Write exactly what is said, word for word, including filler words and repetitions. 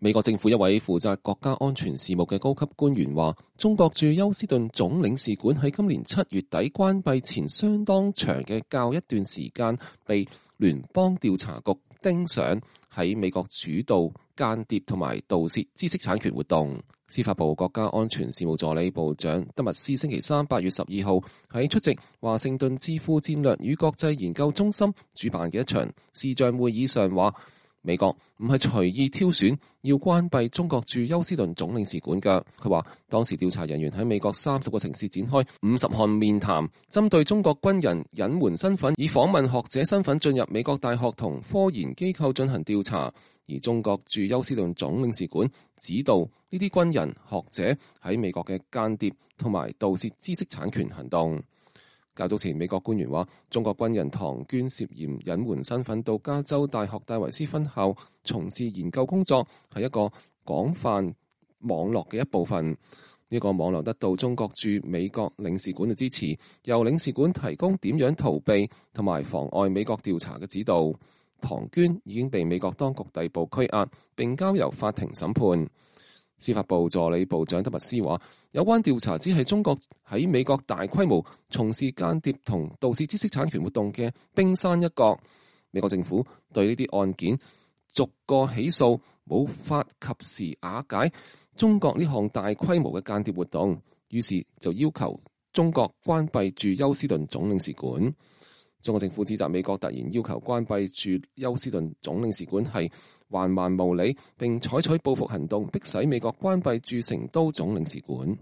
美國政府一位負責國家安全事務嘅高級官員話，中國駐休斯頓總領事館喺今年七月底關閉前相當長嘅較一段時間，被聯邦調查局盯上喺美國主導間諜同埋盜竊知識產權活動。司法部國家安全事務助理部長德密斯星期三八月十二號喺出席華盛頓智庫戰略與國際研究中心主辦嘅一場視像會議上話，美國唔係隨意挑選要關閉中國駐休斯頓總領事館㗎。佢話當時調查人員喺美國三十個城市展開五十項面談，針對中國軍人隱瞞身份，以訪問學者身份進入美國大學同科研機構進行調查。而中國駐休斯頓總領事館指導呢啲軍人學者喺美國嘅間諜同埋盜竊知識產權行動。較早前，美國官員話，中國軍人唐娟涉嫌隱瞞身份到加州大學戴維斯分校從事研究工作，係一個廣泛網絡嘅一部分。呢個網絡得到中國駐美國領事館嘅支持，由領事館提供點樣逃避同埋妨礙美國調查嘅指導。唐娟已經被美國當局逮捕拘押，並交由法庭審判。司法部助理部長德密斯話，有關調查只係中國喺美國大規模從事間諜同盜竊知識產權活動嘅冰山一角。美國政府對呢啲案件逐個起訴，冇法及時瓦解中國呢項大規模嘅間諜活動，於是就要求中國關閉駐休斯頓總領事館。中國政府指責美國突然要求關閉駐休斯頓總領事館係橫蠻無理，並採取報復行動，迫使美國關閉駐成都總領事館。